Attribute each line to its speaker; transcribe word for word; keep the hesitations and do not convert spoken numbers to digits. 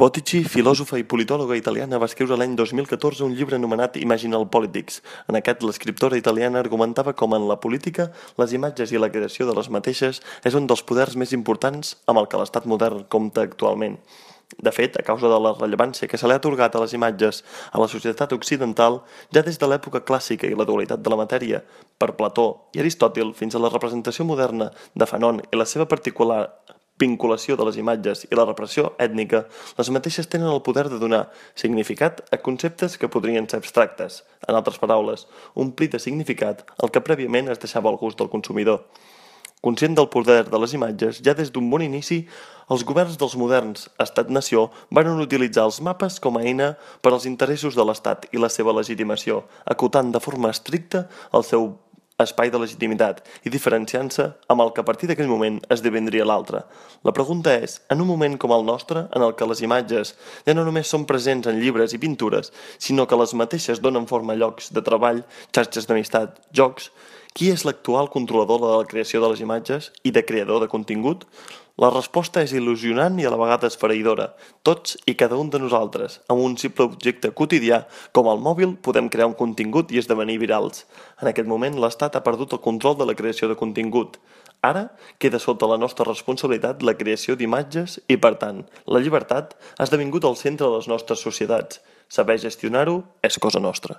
Speaker 1: Bottici, filòsofa i politòloga italiana, va escriure l'any dos mil catorze un llibre anomenat Imaginal Politics. En aquest, l'escriptora italiana argumentava com en la política, les imatges i la creació de les mateixes és un dels poders més importants amb el que l'estat modern compta actualment. De fet, a causa de la rellevància que se li ha atorgat a les imatges a la societat occidental, ja des de l'època clàssica i la dualitat de la matèria, per Plató i Aristòtil, fins a la representació moderna de Fanon i la seva particular vinculació de les imatges i la repressió ètnica, les mateixes tenen el poder de donar significat a conceptes que podrien ser abstractes. En altres paraules, omplir de significat el que prèviament es deixava al gust del consumidor. Conscient del poder de les imatges, ja des d'un bon inici, els governs dels moderns estat-nació van utilitzar els mapes com a eina per als interessos de l'estat i la seva legitimació, acotant de forma estricta el seu espai de legitimitat i diferenciant-se amb el que a partir d'aquell moment esdevindria l'altre. La pregunta és, en un moment com el nostre, en el que les imatges ja no només són presents en llibres i pintures, sinó que les mateixes donen forma a llocs de treball, xarxes d'amistat, jocs, qui és l'actual controlador de la creació de les imatges i de creador de contingut? La resposta és il·lusionant i a la vegada esfereïdora. Tots i cada un de nosaltres, amb un simple objecte quotidià com el mòbil, podem crear un contingut i esdevenir virals. En aquest moment, l'Estat ha perdut el control de la creació de contingut. Ara queda sota la nostra responsabilitat la creació d'imatges i, per tant, la llibertat ha esdevingut el centre de les nostres societats. Saber gestionar-ho és cosa nostra.